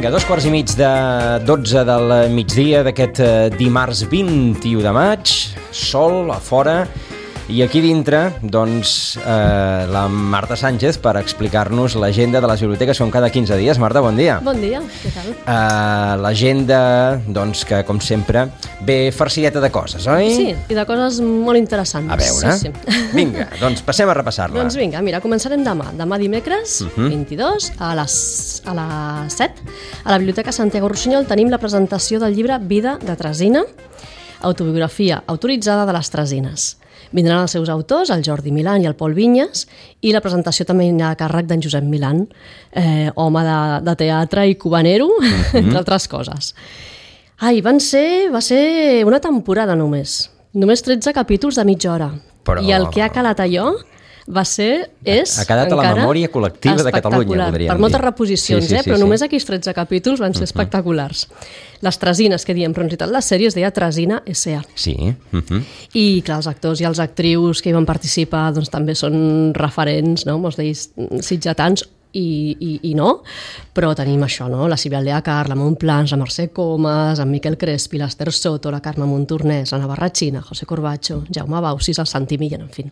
Vinga, 2:15 de 12 del migdia d'aquest dimarts 21 de maig, sol a fora, i aquí dintre, doncs, la Marta Sánchez per explicar-nos l'agenda de les biblioteques com cada 15 dies. Marta, bon dia. Bon dia, què tal? L'agenda, doncs, que com sempre ve farcideta de coses, oi? Sí, i de coses molt interessants. A veure, sí. Vinga, doncs passem a repassar-la. Doncs vinga, mira, començarem demà dimecres, 22, a les 7, a la Biblioteca Santiago Rossinyol tenim la presentació del llibre Vida de Tresina, autobiografia autoritzada de les Tresines. Vindran els seus autors, el Jordi Milán i el Pol Vinyes, i la presentació també a càrrec d'en Josep Milán, home de teatre i cubanero, entre altres coses. Va ser una temporada només 13 capítols de mitja hora. Però... I el que ha calat allò ha quedat a la memòria col·lectiva de Catalunya, podríem dir. Per moltes reposicions, sí, però només aquells 13 capítols van ser espectaculars. Les Tresines, que diem, però en realitat la sèrie es deia Tresina S.A. Sí. I clar, els actors i els actrius que hi van participar doncs, també són referents, no? Molts d'ells sitgetans, i no, però tenim això, no? La Sílvia Aldeacar, la Montplans, la Mercè Comas, en Miquel Crespi, l'Ester Soto, la Carme Montornès, la Navarratxina, José Corbacho, Jaume Bausis, el Santi Millán, en fi,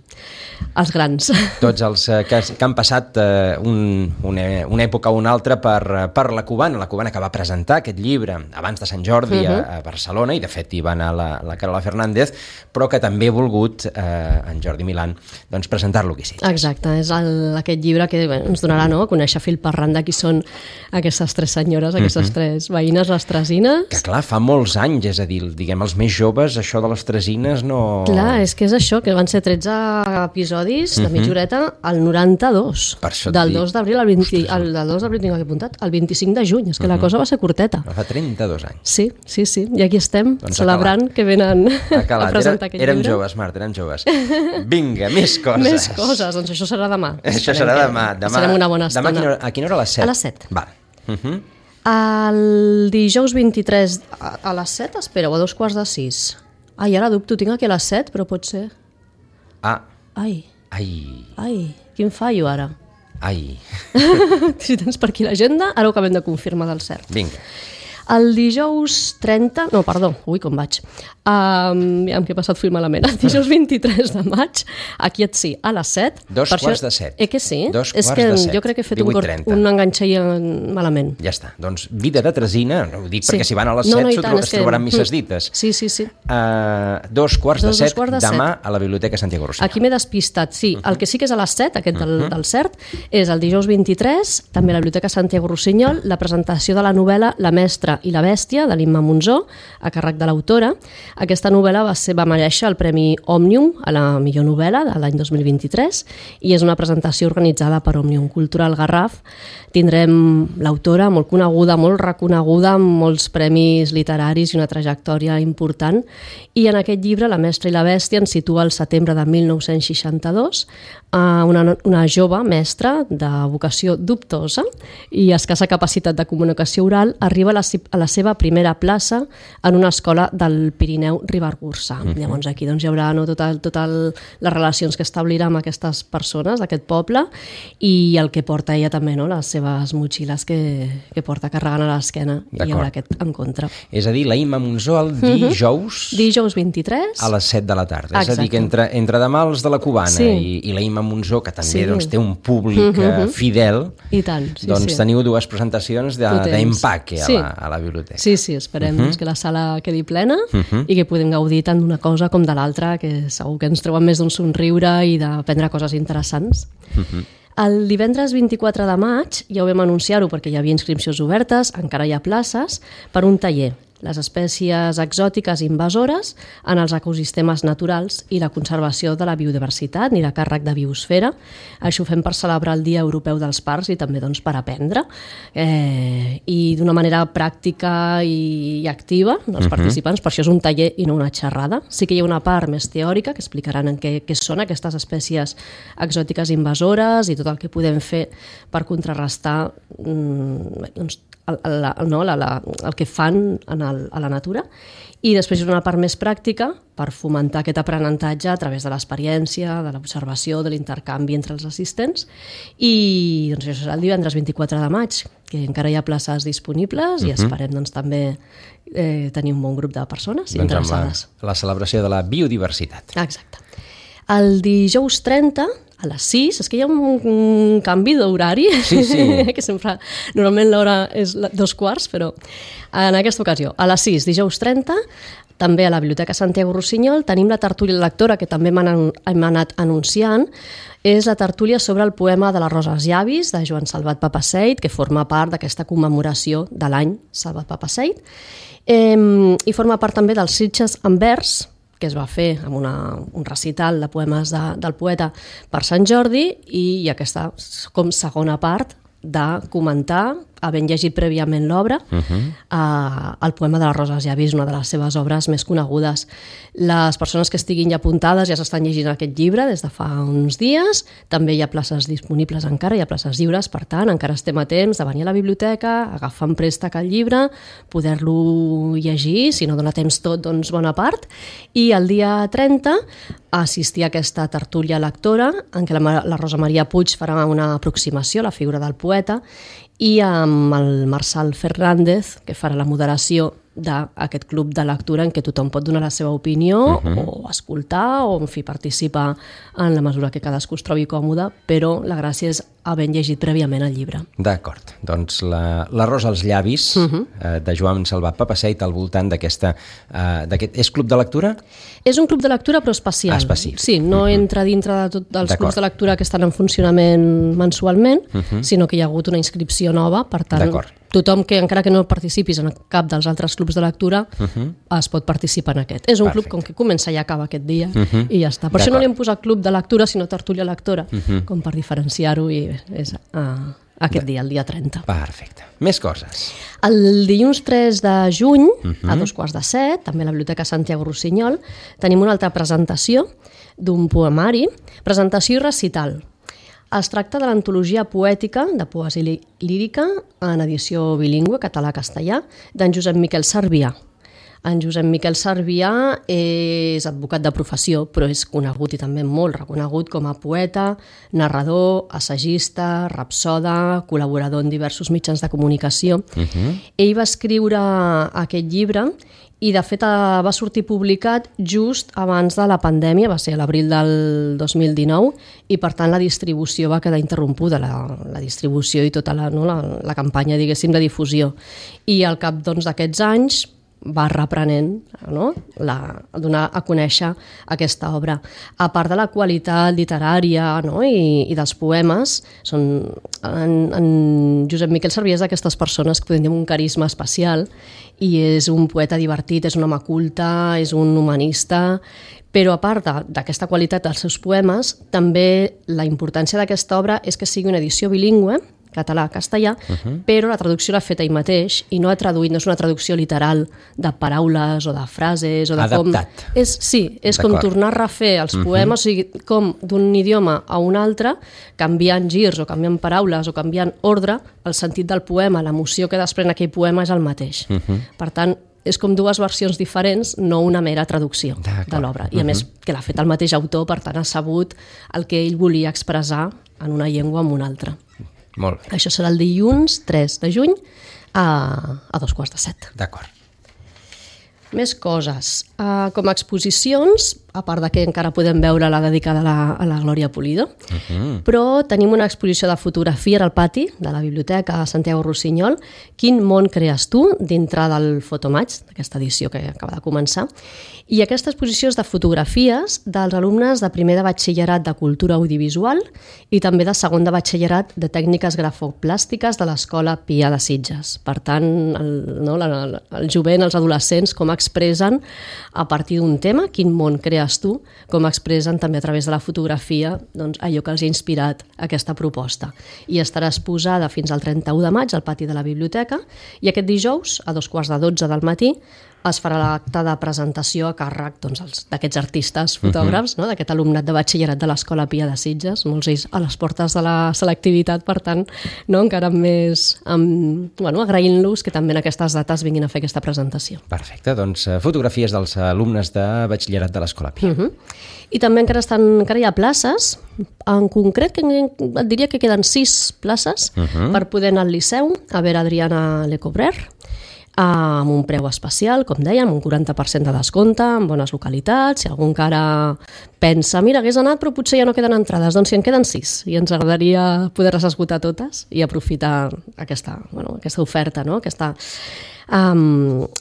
els grans. Tots els que han passat una època o una altra per la cubana que va presentar aquest llibre abans de Sant Jordi a Barcelona, i de fet hi va anar la Carola Fernández, però que també ha volgut en Jordi Milán doncs, presentar-lo aquí. Sí. Exacte, és aquest llibre que ens donarà a conèixer fil per randa qui són aquestes tres senyores, aquestes tres veïnes, les Tresines. Que clar, fa molts anys, és a dir, diguem, els més joves, això de les Tresines no... Clar, és que és això, que van ser 13 episodis de mitja horeta al 92. Per això del 2 d'abril al 20... del 2 d'abril tinc aquí apuntat, al 25 de juny, és que la cosa va ser curteta. Fa 32 anys. Sí, i aquí estem, doncs celebrant que venen a presentar aquest llibre. Érem joves, Marta, érem joves. Vinga, més coses. Més coses, doncs això serà demà. Això serà demà. Serem una bona estona. Demà a quina hora? A les 7? A les 7. Val. El dijous 23 a les 7, espera, o a 5:15. Ara dubto, tinc aquí a les 7, però pot ser... Ai, quin fallo ara. Si tens per aquí l'agenda, ara ho acabem de confirmar del cert. Vinga. El dijous 30... No, perdó, com vaig? Amb què he passat fil malament. El dijous 23 de maig, aquí a les 7. 7:15. Que sí? 2:15. És que jo crec que he fet un enganxall malament. Ja està. Doncs Vida de Tresina, ho dic perquè si van a les 7 es trobaran misses dites. Sí. 2:15 demà a la Biblioteca Santiago Rossinyol. Aquí m'he despistat, sí. El que sí que és a les 7, aquest del cert, és el dijous 23, també a la Biblioteca Santiago Rossinyol, la presentació de la novel·la La mestra i la bèstia, de l'Imma Monzó, a càrrec de l'autora. Aquesta novel·la va merèixer el Premi Òmnium a la millor novel·la de l'any 2023 i és una presentació organitzada per Òmnium Cultural Garraf. Tindrem l'autora molt coneguda, molt reconeguda, amb molts premis literaris i una trajectòria important. I en aquest llibre, La mestra i la bèstia, ens situa al setembre de 1962, una jove mestra de vocació dubtosa i escassa capacitat de comunicació oral arriba a la seva primera plaça en una escola del Pirineu Ribagorçà. Llavors aquí hi haurà totes les relacions que establirà amb aquestes persones d'aquest poble i el que porta ella també, les seves motxilles que porta carregant a l'esquena, i hi haurà aquest encontre. És a dir, la Imma Monzó el dijous 23 a les 7 de la tarda. És a dir, que entre demà els de la Cubana i la Imma Monzó, que també té un públic fidel, doncs teniu dues presentacions d'empaque a la biblioteca. Sí, esperem que la sala quedi plena i que podem gaudir tant d'una cosa com de l'altra, que segur que ens treuen més d'un somriure i d'aprendre coses interessants. El divendres 24 de maig, ja ho vam anunciar-ho perquè hi havia inscripcions obertes, encara hi ha places, per un taller, les espècies exòtiques invasores en els ecosistemes naturals i la conservació de la biodiversitat i la càrrec de biosfera. Això ho fem per celebrar el Dia Europeu dels Parcs i també per aprendre i d'una manera pràctica i activa dels participants. Per això és un taller i no una xerrada. Sí que hi ha una part més teòrica que explicaran en què són aquestes espècies exòtiques invasores i tot el que podem fer per contrarrestar el que fan a la natura, i després hi ha una part més pràctica per fomentar aquest aprenentatge a través de l'experiència, de l'observació, de l'intercanvi entre els assistents, i doncs, això serà el divendres 24 de maig, que encara hi ha places disponibles i esperem doncs, també tenir un bon grup de persones interessades. Amb la celebració de la biodiversitat. Exacte. El dijous 30, a les 6, és que hi ha un canvi d'horari, sí. que sempre, normalment l'hora és 2:15, però en aquesta ocasió, a les 6, dijous 30, també a la Biblioteca Santiago Rossinyol, tenim la tertúlia lectora, que també hem anat anunciant, és la tertúlia sobre el poema de la Rosa als llavis, de Joan Salvat Papasseit, que forma part d'aquesta commemoració de l'any Salvat Papasseit, i forma part també dels Sitges en vers, que es va fer amb un recital de poemes del poeta per Sant Jordi, i aquesta com segona part de comentar, havent llegit prèviament l'obra, el poema de la Rosa als llavis, una de les seves obres més conegudes. Les persones que estiguin ja apuntades ja s'estan llegint aquest llibre des de fa uns dies, també hi ha places disponibles encara, hi ha places lliures, per tant, encara estem a temps de venir a la biblioteca, agafar en préstec el llibre, poder-lo llegir, si no dona temps tot, doncs bona part, i el dia 30 assistir a aquesta tertúlia lectora, en què la Rosa Maria Puig farà una aproximació a la figura del poeta, i amb el Marçal Fernández, que farà la moderació d'aquest club de lectura en què tothom pot donar la seva opinió o escoltar o, en fi, participar en la mesura que cadascú es trobi còmode, però la gràcia és haver llegit prèviament el llibre. D'acord. Doncs la Rosa als llavis de Joan Salvat Papasseit al voltant d'aquest... És club de lectura? És un club de lectura però especial. Específic. Sí, no entra dintre de tots els clubs de lectura que estan en funcionament mensualment, sinó que hi ha hagut una inscripció nova, per tant, tothom que encara que no participis en cap dels altres clubs de lectura es pot participar en aquest. És un club com que comença i acaba aquest dia i ja està. Per això no li hem posat club de lectura sinó tertúlia lectora, com per diferenciar-ho, i és aquest dia, el dia 30. Perfecte. Més coses. El dilluns 3 de juny, a 6:45, també a la Biblioteca Santiago Rossinyol, tenim una altra presentació d'un poemari, presentació i recital. Es tracta de l'antologia poètica de poesia lírica en edició bilingüe, català-castellà, d'en Josep Miquel Sarbià. En Josep Miquel Sarbià és advocat de professió, però és conegut i també molt reconegut com a poeta, narrador, assagista, rapsoda, col·laborador en diversos mitjans de comunicació. Ell va escriure aquest llibre i, de fet, va sortir publicat just abans de la pandèmia, va ser a l'abril del 2019, i, per tant, la distribució va quedar interrompuda, la distribució i tota la campanya, diguéssim, de difusió. I al cap d'aquests anys va reprenent, donar a conèixer aquesta obra. A part de la qualitat literària i dels poemes, en Josep Miquel Sarbià és d'aquestes persones que tenen un carisma especial i és un poeta divertit, és un home culte, és un humanista, però a part d'aquesta qualitat dels seus poemes, també la importància d'aquesta obra és que sigui una edició bilingüe, català-castellà, però la traducció l'ha fet ell mateix i no ha traduït, no és una traducció literal de paraules o de frases o de adaptat. És com tornar a refer els poemes, o sigui, com d'un idioma a un altre, canviant girs o canviant paraules o canviant ordre, el sentit del poema, l'emoció que desprèn aquell poema és el mateix. Per tant, és com dues versions diferents, no una mera traducció de l'obra. I a més, que l'ha fet el mateix autor, per tant ha sabut el que ell volia expressar en una llengua o en una altra. Molt bé. Això serà el dilluns 3 de juny a 6:45. D'acord. Més coses. Com a exposicions, a part de que encara podem veure la dedicada a la Glòria Pulido, però tenim una exposició de fotografia al pati de la Biblioteca Santiago Rossinyol, Quin món crees tu, dintre del Fotomaig, d'aquesta edició que acaba de començar. I aquesta exposició és de fotografies dels alumnes de primer de batxillerat de Cultura Audiovisual i també de segon de batxillerat de Tècniques Grafoplàstiques de l'Escola Pia de Sitges. Per tant, el jovent, els adolescents, com expressen a partir d'un tema, quin món crees tu, com expressen també a través de la fotografia allò que els ha inspirat aquesta proposta. I estarà exposada fins al 31 de maig al pati de la biblioteca i aquest dijous, a 2:15 del matí, es farà l'acte de presentació a càrrec d'aquests artistes fotògrafs, no? D'aquest alumnat de batxillerat de l'Escola Pia de Sitges, molts d'ells a les portes de la selectivitat, per tant, no? Encara més agraint-los que també en aquestes dates vinguin a fer aquesta presentació. Perfecte, doncs fotografies dels alumnes de batxillerat de l'Escola Pia. I també encara hi ha places, en concret et diria que queden 6 places per poder anar al Liceu, a veure Adriana Lecobrer, amb un preu especial, com dèiem, un 40% de descompte, en bones localitats. Si algú encara pensa, mira, hagués anat però potser ja no queden entrades, doncs si en queden 6 i ens agradaria poder-les esgotar totes i aprofitar aquesta oferta, no?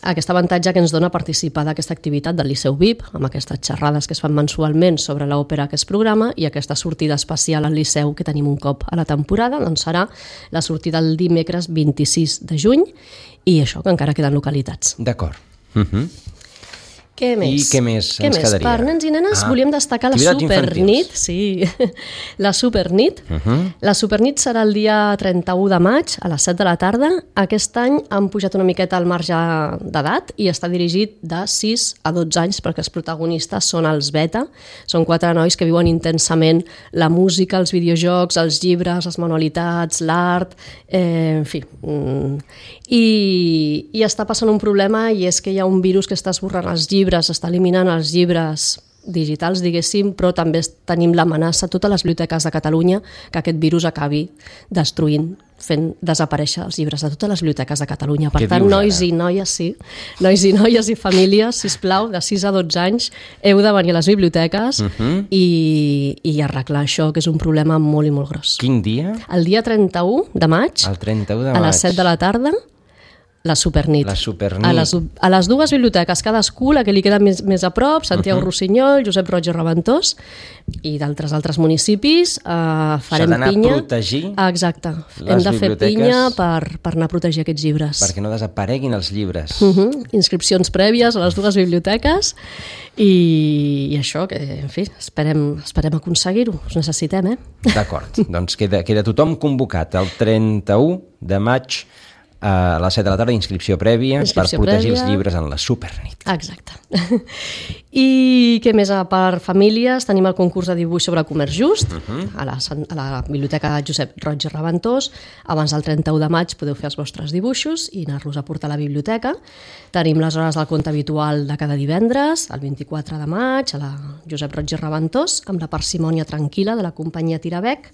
Aquest avantatge que ens dona participar d'aquesta activitat del Liceu VIP, amb aquestes xerrades que es fan mensualment sobre l'òpera que es programa, i aquesta sortida especial al Liceu que tenim un cop a la temporada, doncs serà la sortida el dimecres 26 de juny, i això, que encara queden localitats. D'acord. Què més? I què més ens quedaria? Per nens i nenes volíem destacar la Supernit. Sí, la Supernit. La Supernit serà el dia 31 de maig a les 7 de la tarda. Aquest any han pujat una miqueta el marge d'edat i està dirigit de 6 a 12 anys perquè els protagonistes són els beta. Són 4 nois que viuen intensament la música, els videojocs, els llibres, les manualitats, l'art, en fi. I està passant un problema, i és que hi ha un virus que està esborrant els llibres, està eliminant els llibres digitals, diguéssim, però també tenim l'amenaça a totes les biblioteques de Catalunya que aquest virus acabi destruint, fent desaparèixer els llibres de totes les biblioteques de Catalunya. Per tant, nois i noies i famílies, sisplau, de 6 a 12 anys, heu de venir a les biblioteques i arreglar això, que és un problema molt i molt gros. Quin dia? El dia 31 de maig, el 31 de maig. A les 7 de la tarda, la Supernit. La Supernit. A les dues biblioteques, cadascú, la que li queda més a prop, Santiago Rossinyol, Josep Roig i Reventós, i d'altres municipis, farem pinya. S'ha d'anar a protegir. Exacte. Hem de fer pinya per anar a protegir aquests llibres. Perquè no desapareguin els llibres. Inscripcions prèvies a les dues biblioteques i això, que, en fi, esperem aconseguir-ho. Us necessitem, D'acord. Doncs queda tothom convocat el 31 de maig a les 7 de la tarda, inscripció prèvia per protegir els llibres en la Supernit. Exacte. I què més? Per famílies tenim el concurs de dibuix sobre comerç just a la Biblioteca Josep Roig i Reventós. Abans del 31 de maig podeu fer els vostres dibuixos i anar-los a portar a la biblioteca. Tenim les hores del conte habitual de cada divendres, el 24 de maig, a la Josep Roig i Reventós, amb la parsimònia tranquil·la de la companyia Tirabec.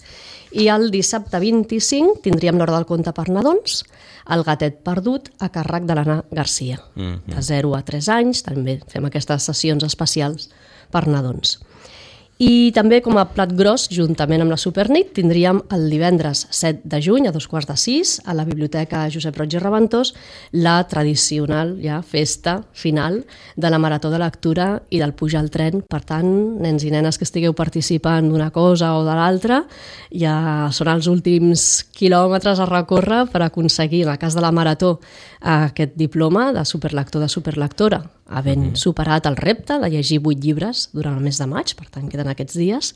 I el dissabte 25 tindríem l'hora del conte per nadons, El gatet perdut, a càrrec de l'Anna Garcia. De 0 a 3 anys, també fem aquestes sessions especials per nadons. I també, com a plat gros, juntament amb la Supernit, tindríem el divendres 7 de juny, a 5:45, a la Biblioteca Josep Roig i Reventós, la tradicional festa final de la Marató de Lectura i del Pujar al Tren. Per tant, nens i nenes que estigueu participant d'una cosa o de l'altra, ja són els últims quilòmetres a recórrer per aconseguir, en el cas de la Marató, aquest diploma de superlector, de superlectora, havent superat el repte de llegir 8 llibres durant el mes de maig, per tant queden aquests dies,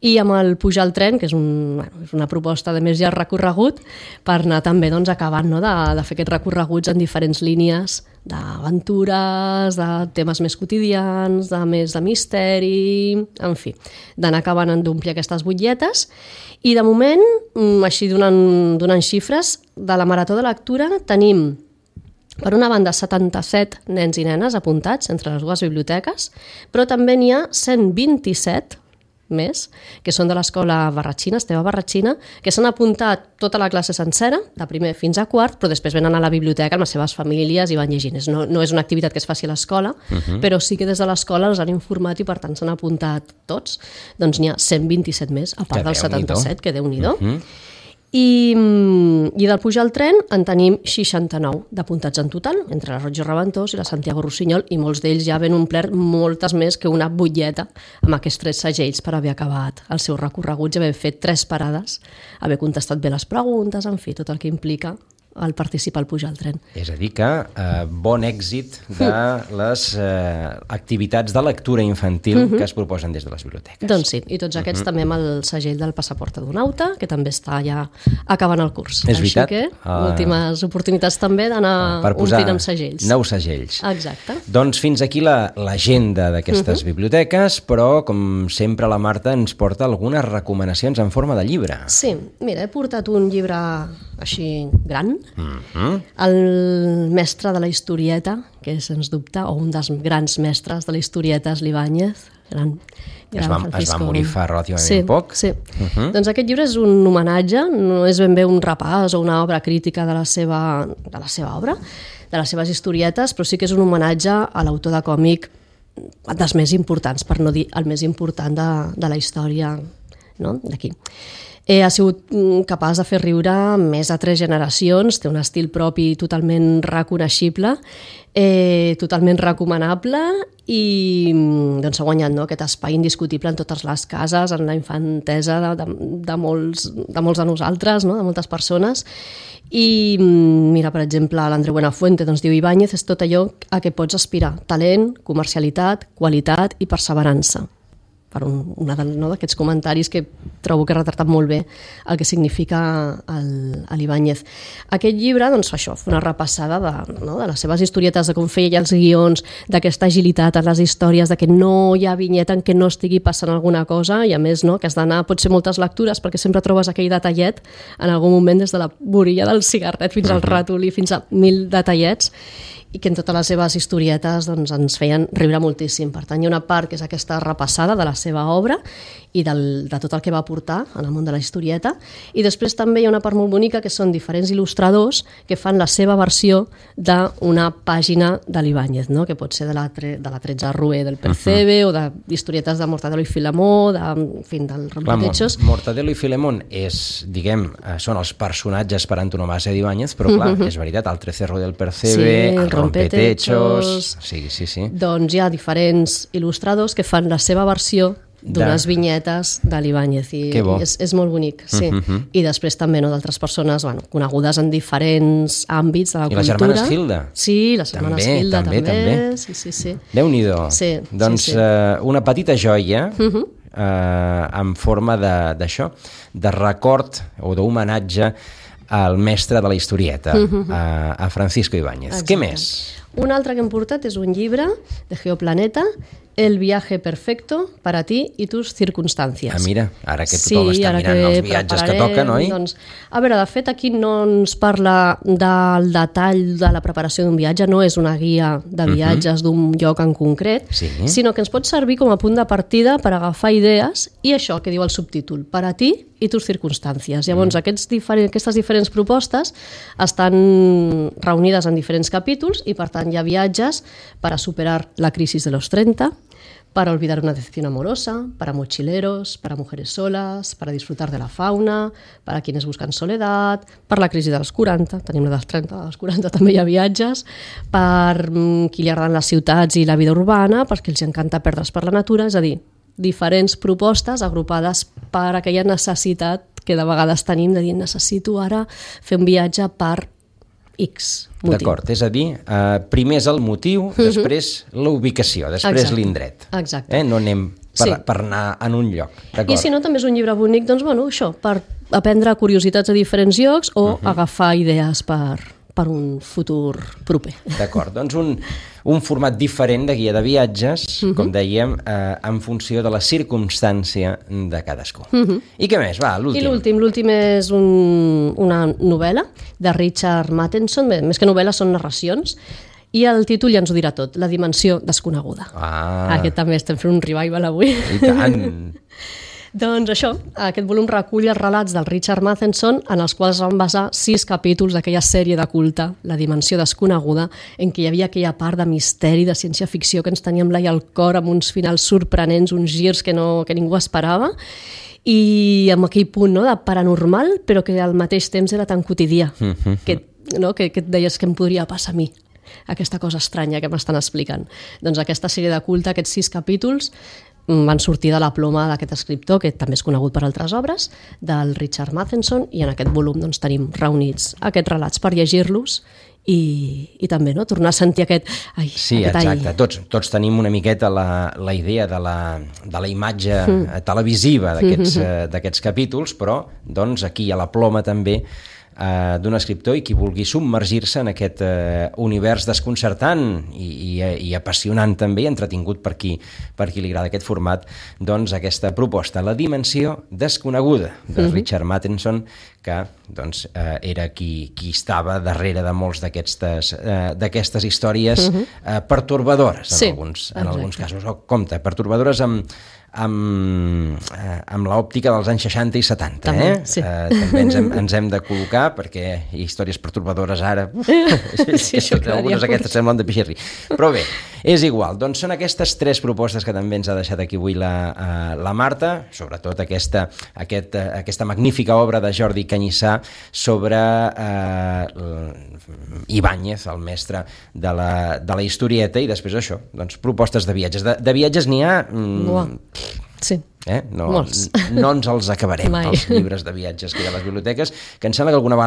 i amb el Pujar al Tren, que és una proposta de més llarg recorregut, per anar també acabant de fer aquests recorreguts en diferents línies d'aventures, de temes més quotidians, de més de misteri, en fi, d'anar acabant d'omplir aquestes butlletes. I de moment, així donant xifres, de la Marató de Lectura tenim per una banda 77 nens i nenes apuntats entre les dues biblioteques, però també n'hi ha 127 més, que són de l'escola Barratxina, Esteve Barratxina, que s'han apuntat tota la classe sencera, de primer fins a quart, però després venen a la biblioteca amb les seves famílies i van llegint. No és una activitat que es faci a l'escola, però sí que des de l'escola els han informat i per tant s'han apuntat tots. Doncs n'hi ha 127 més, a part dels 77, que Déu-n'hi-do. I del Pujar al Tren en tenim 69 d'apuntats en total, entre la Roig i Reventós i la Santiago Rossinyol, i molts d'ells ja han omplert moltes més que una butlleta amb aquests 3 segells per haver acabat el seu recorregut i haver fet 3 parades, haver contestat bé les preguntes, en fi, tot el que implica al participar al Pujar al tren. És a dir que bon èxit de les activitats de lectura infantil que es proposen des de les biblioteques. Doncs sí, i tots aquests també amb el segell del Passaport Adonauta, que també està ja acabant el curs. És veritat. Així que últimes oportunitats també d'anar omplint amb segells. Nous segells. Exacte. Doncs fins aquí l'agenda d'aquestes biblioteques, però com sempre la Marta ens porta algunes recomanacions en forma de llibre. Sí, mira, he portat un llibre així gran, el mestre de la historieta, que és, sens dubte, o un dels grans mestres de la historieta és l'Ibáñez, es va morir fa relativament poc. Sí. Doncs aquest llibre és un homenatge, no és ben bé un repàs o una obra crítica de la seva obra, de les seves historietes, però sí que és un homenatge a l'autor de còmic dels més importants, per no dir el més important de la història, no? D'aquí. Ha sigut capaç de fer riure més de 3 generacions, té un estil propi totalment reconeixible, totalment recomanable i doncs, ha guanyat aquest espai indiscutible en totes les cases, en la infantesa de molts de nosaltres, no? De moltes persones. I mira, per exemple, l'Andreu Buenafuente diu: Ibáñez és tot allò a què pots aspirar: talent, comercialitat, qualitat i perseverança. Per un d'aquests comentaris que trobo que ha retratat molt bé el que significa l'Ibáñez. Aquest llibre, doncs, això, fa una repassada de les seves historietes, de com feia els guions, d'aquesta agilitat en les històries, de que no hi ha vinyeta en què no estigui passant alguna cosa, i a més, que has d'anar, pot ser moltes lectures, perquè sempre trobes aquell detallet en algun moment, des de la borilla del cigarret fins al ratolí, fins a 1000 detallets, i que en totes les seves historietes doncs, ens feien riure moltíssim. Per tant, hi ha una part que és aquesta repassada de la seva obra i de tot el que va aportar en el món de la historieta, i després també hi ha una part molt bonica que són diferents il·lustradors que fan la seva versió d'una pàgina de l'Ibáñez, no? Que pot ser de la 13 Rue del Percebe o d'historietes de Mortadelo i Filemó, del Rompetechos. Mortadelo i Filemón són els personatges per antonomàsia d'Ibáñez, però clar, és veritat, el 13 Rue del Percebe, el Rompetechos... Sí. Doncs hi ha diferents il·lustradors que fan la seva versió d'unes vinyetes de l'Ibáñez, i és molt bonic, sí. I després també d'altres persones conegudes en diferents àmbits de la cultura. I les germanes Gilda. Sí, les germanes Gilda també. Sí. Déu-n'hi-do. Doncs una petita joia en forma d'això, de record o d'homenatge al mestre de la historieta, a Francisco Ibáñez. Què més? Un altre que hem portat és un llibre de Geoplaneta, El viaje perfecto para ti y tus circunstancias. Mira, ara que tothom està mirant els viatges que toquen, oi? Doncs, a veure, de fet, aquí no ens parla del detall de la preparació d'un viatge, no és una guia de viatges d'un lloc en concret, sinó que ens pot servir com a punt de partida per agafar idees, i això que diu el subtítol, para ti i tus circunstàncies. Llavors, aquestes diferents propostes estan reunides en diferents capítols i, per tant, hi ha viatges per a superar la crisi de los 30, para olvidar una decepción amorosa, para mochileros, para mujeres solas, para disfrutar de la fauna, para quienes buscan soledad, per la crisi dels 40, tenim la dels 30, dels 40 també hi ha viatges, per qui li agraden les ciutats i la vida urbana, perquè els encanta perdre's per la natura, és a dir, diferents propostes agrupades per aquella necessitat que de vegades tenim de dir necessito ara fer un viatge per X motiu. D'acord, és a dir, primer és el motiu, després la ubicació, després l'indret. Exacte. No anem per anar en un lloc. I si no, també és un llibre bonic, doncs, això, per aprendre curiositats a diferents llocs o agafar idees per un futur proper. D'acord, doncs un format diferent de guia de viatges, com dèiem, en funció de la circumstància de cadascú. I què més? Va, l'últim. L'últim és una novel·la de Richard Matheson, més que novel·la són narracions, i el títol ja ens ho dirà tot, La dimensió desconeguda. Aquest també estem fent un revival avui. I tant! Doncs això, aquest volum recull els relats del Richard Matheson en els quals van basar 6 capítols d'aquella sèrie de culte, La dimensió desconeguda, en què hi havia aquella part de misteri, de ciència-ficció que ens tenia amb l'ai al cor, amb uns finals sorprenents, uns girs que ningú esperava, i amb aquell punt de paranormal, però que al mateix temps era tan quotidià, que et deies que em podria passar a mi, aquesta cosa estranya que m'estan explicant. Doncs aquesta sèrie de culte, aquests 6 capítols, van sortir de la ploma d'aquest escriptor, que també és conegut per altres obres, del Richard Matheson, i en aquest volum doncs, tenim reunits aquests relats per llegir-los i també tornar a sentir aquest... Sí, exacte. Tots tenim una miqueta la idea de la imatge televisiva d'aquests capítols, però doncs, aquí a la ploma també d'un escriptor, i qui vulgui submergir-se en aquest univers desconcertant i apassionant també, i entretingut per qui li agrada aquest format, doncs aquesta proposta, La dimensió desconeguda, de Richard Matheson, que doncs, era qui estava darrere de molts d'aquestes històries pertorbadores en alguns casos. Compte, pertorbadores amb l'òptica dels anys 60 i 70. També, sí. També ens hem de col·locar, perquè històries pertorbadores ara... algunes d'aquestes semblen de pixirri. Però bé, és igual. Doncs són aquestes 3 propostes que també ens ha deixat aquí avui la Marta, sobretot aquesta magnífica obra de Jordi Canyissà sobre Ibáñez, el mestre de la historieta, i després això, doncs, propostes de viatges. De viatges n'hi ha... Sí. No ens els acabarem, els llibres de viatges que hi ha a les biblioteques, que em sembla que alguna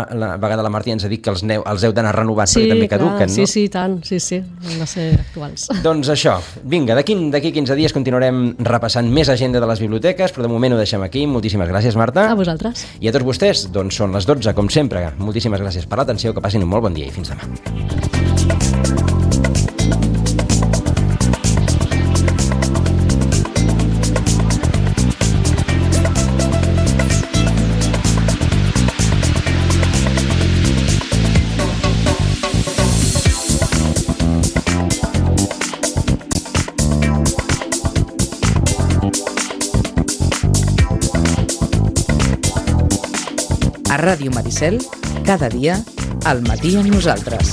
vegada la Martí ens ha dit que els heu d'anar renovant, perquè també caduquen, no? Sí, tant, sí, han de ser actuals. Doncs això, vinga, d'aquí 15 dies continuarem repassant més agenda de les biblioteques, però de moment ho deixem aquí. Moltíssimes gràcies, Marta. A vosaltres. I a tots vostès, doncs són les 12, com sempre. Moltíssimes gràcies per l'atenció, que passin un molt bon dia i fins demà. A Ràdio Maricel, cada dia, al matí amb nosaltres.